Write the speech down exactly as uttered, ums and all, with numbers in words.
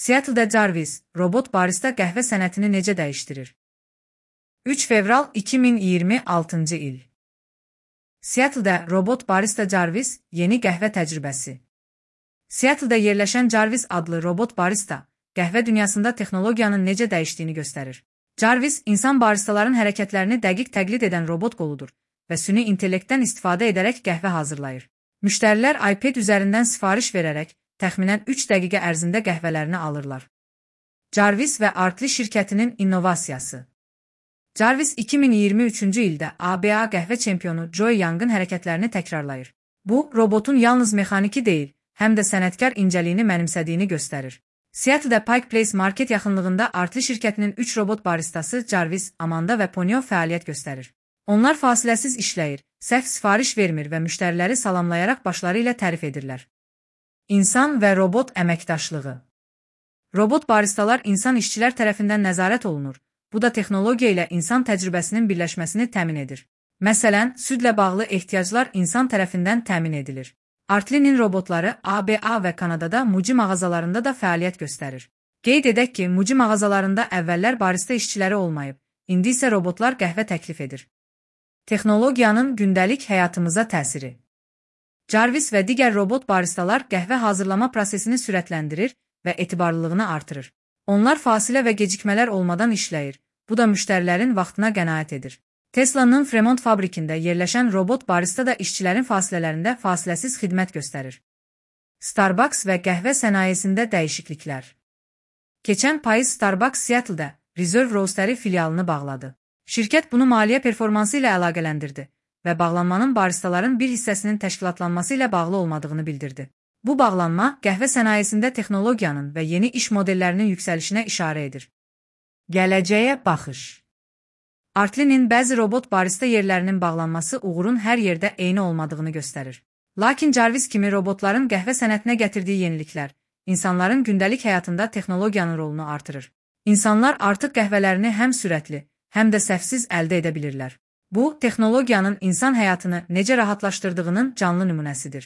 Seattle-da Jarvis, robot barista qəhvə sənətini necə dəyişdirir? üç fevral iki min iyirmi altıncı il. Seattle-da robot barista Jarvis, yeni qəhvə təcrübəsi. Seattle-da yerləşən Jarvis adlı robot barista, qəhvə dünyasında texnologiyanın necə dəyişdiyini göstərir. Jarvis, insan baristaların hərəkətlərini dəqiq təqlid edən robot qoludur və süni intellektdən istifadə edərək qəhvə hazırlayır. Müştərilər iPad üzərindən sifariş verərək, təxminən üç dəqiqə ərzində qəhvələrini alırlar. Jarvis və Artli şirkətinin innovasiyası. Jarvis iki min iyirmi üçüncü ildə A B A qəhvə çempionu Joy Young'ın hərəkətlərini təkrarlayır. Bu, robotun yalnız mexaniki deyil, həm də sənətkar incəliyini mənimsədiyini göstərir. Seattle-da Pike Place market yaxınlığında Artli şirkətinin üç robot baristası Jarvis, Amanda və Ponyo fəaliyyət göstərir. Onlar fasiləsiz işləyir, səhv sifariş vermir və müştəriləri salamlayaraq başları ilə tərif edirlər. İnsan və robot əməkdaşlığı. Robot baristalar insan işçilər tərəfindən nəzarət olunur. Bu da texnologiya ilə insan təcrübəsinin birləşməsini təmin edir. Məsələn, südlə bağlı ehtiyaclar insan tərəfindən təmin edilir. Artli'nin robotları A B A və Kanadada Muji mağazalarında da fəaliyyət göstərir. Qeyd edək ki, Muji mağazalarında əvvəllər barista işçiləri olmayıb, indi isə robotlar qəhvə təklif edir. Texnologiyanın gündəlik həyatımıza təsiri. Jarvis və digər robot baristalar qəhvə hazırlama prosesini sürətləndirir və etibarlılığını artırır. Onlar fasilə və gecikmələr olmadan işləyir, bu da müştərilərin vaxtına qənaət edir. Tesla'nın Fremont fabrikində yerləşən robot barista da işçilərin fasilələrində fasiləsiz xidmət göstərir. Starbucks və qəhvə sənayesində dəyişikliklər. Keçən payız Starbucks Seattle-da Reserve Roastery filialını bağladı. Şirkət bunu maliyyə performansı ilə əlaqələndirdi və bağlanmanın baristaların bir hissəsinin təşkilatlanması ilə bağlı olmadığını bildirdi. Bu bağlanma, qəhvə sənayesində texnologiyanın və yeni iş modellərinin yüksəlişinə işarə edir. Gələcəyə baxış. Artli'nin bəzi robot barista yerlərinin bağlanması uğurun hər yerdə eyni olmadığını göstərir. Lakin Jarvis kimi robotların qəhvə sənətinə gətirdiyi yeniliklər, insanların gündəlik həyatında texnologiyanın rolunu artırır. İnsanlar artıq qəhvələrini həm sürətli, həm də səhvsiz əldə edə bilirlər. Bu, texnologiyanın insan həyatını necə rahatlaşdırdığının canlı nümunəsidir.